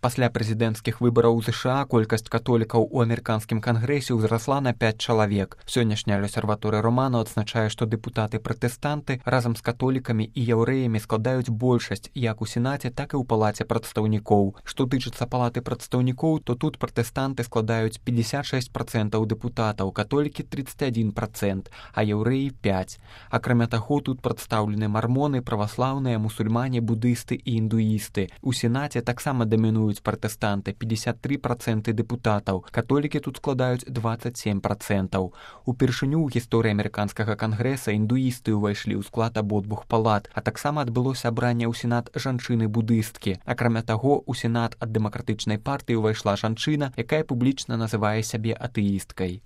Пасля прэзідэнцкіх выбараў у ЗША колькасць католікаў у амерыканскім кангрэсе ўзрасла на 5 чалавек. Сённяшняя L'Osservatore Romano адзначае, што дэпутаты-пратэстанты разам з католікамі і яўрэямі складаюць большасць як у Сенаце, так і ў Палаце прадстаўнікоў. Што тычыцца Палаты прадстаўнікоў, то тут пратэстанты складаюць 56% дэпутатаў, католікі 31%, а яўрэі 5%. Акрамя таго, тут прадстаўлены мармоны, праваслаўныя, мусульмане, будысты і індуісты. У Сенаце таксама дамінуюць пратэстанты, 53% дэпутатаў, католікі тут складаюць 27%. Упершыню ў гісторыі амерыканскага кангрэса індуісты ўвайшлі ў склад абодвух палат, а таксама адбылося абранне ў Сенат жанчыны-будысткі. Акрамя таго, у Сенат ад дэмакратычнай партыі ўвайшла жанчына, якая публічна называе сябе атэісткай.